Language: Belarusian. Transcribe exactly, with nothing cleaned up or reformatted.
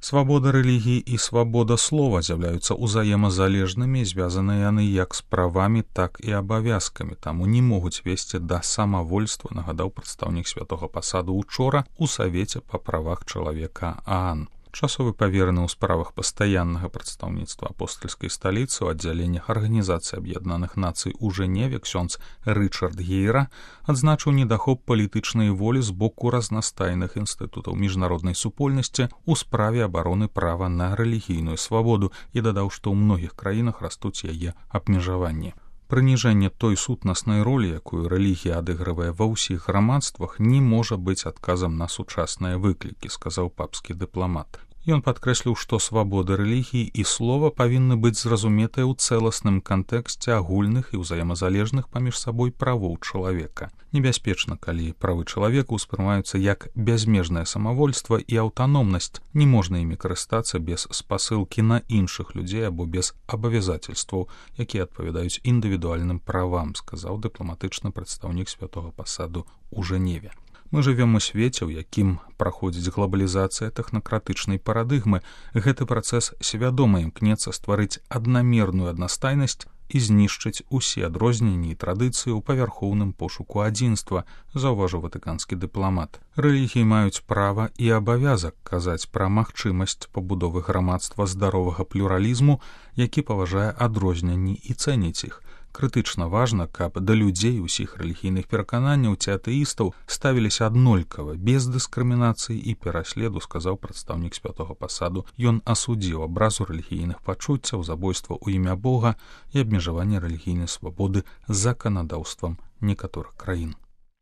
Свабода рэлігіі і свабода слова з'яўляюцца ўзаемазалежнымі, звязаныя яны як з правамі, так і абавязкамі, таму не могуць весці да самавольства, нагадаў прадстаўнік святога пасаду учора ў Савеце па правах чалавека ААН. Часовы павераны ў справах пастаяннага прадстаўніцтва апостальскай сталіцы ў аддзяленнях Арганізацыі Аб'яднаных Нацый у Жэневе ксёндз Рычард Гейра адзначыў недахоп палітычнай волі з боку разнастайных інстытутаў міжнароднай супольнасці ў справе абароны права на рэлігійную свабоду і дадаў, што ў многіх краінах растуць яе абмежаванні. Прыніжэнне той сутнаснай ролі, якую рэлігія адыгрывае ва ўсіх грамадствах, не можа быць адказам на сучасныя выклікі, сказаў папскі дыпламат. Ён падкрэсліў, што свабода рэлігіі і слова павінны быць зразуметыя ў цэласным кантэксце агульных і ўзаемазалежных паміж сабой правоў чалавека. Небяспечна, калі правы чалавека ўспрымаюцца як бязмежнае самавольства і аўтаномнасць, не можна імі карыстацца без спасылкі на іншых людзей або без абавязацельстваў, якія адпавядаюць індывідуальным правам, сказаў дыпламатычны прадстаўнік святога пасаду ў Жэневе. Мы жывем у свеце, у якім праходзіць глобалізацыя тэхнакратычнай парадыгмы. Гэты працэс свядома імкнецца стварыць аднамерную аднастайнасць і знішчыць усе адрозненні і традыцыі ў павярхоўным пошуку адзінства, заўважыў ватыканскі дыпламат. Рэлігіі маюць права і абавязак казаць пра магчымасць пабудовы грамадства здаровага плюралізму, які паважае адрозненні і цэніць іх. Крытычна важна, каб да людзей усіх рэлігійных перакананняў ці атэістаў ставіліся аднолькава, без дыскрымінацыі і пераследу, сказаў прадстаўнік святога пасаду. Ён асудзіў абразу рэлігійных пачуццяў, забойства ў імя Бога і абмежаванне рэлігійнай свабоды заканадаўствам некаторых краін.